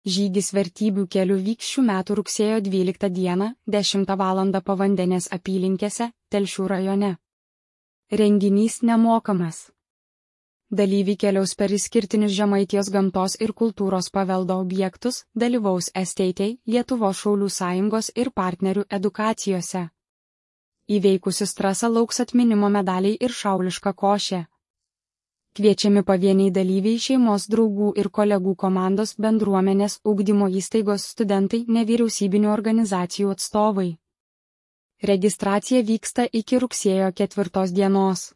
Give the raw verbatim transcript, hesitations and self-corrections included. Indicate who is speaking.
Speaker 1: Žygis vertybių keliu vyks šių metų rugsėjo dvyliktą dieną, dešimtą valandą Pavandenės apylinkėse, Telšių rajone. Renginys nemokamas. Dalyviai keliaus per išskirtinius Žemaitijos gamtos ir kultūros paveldo objektus, dalyvaus Estaitei, Lietuvos šaulių sąjungos ir partnerių edukacijose. Įveikusius trasą lauks atminimo medaliai ir šauliška košė. Kviečiami pavieniai dalyviai, šeimos draugų ir kolegų komandos, bendruomenės, ugdymo įstaigos studentai, nevyriausybinių organizacijų atstovai. Registracija vyksta iki rugsėjo ketvirtos dienos.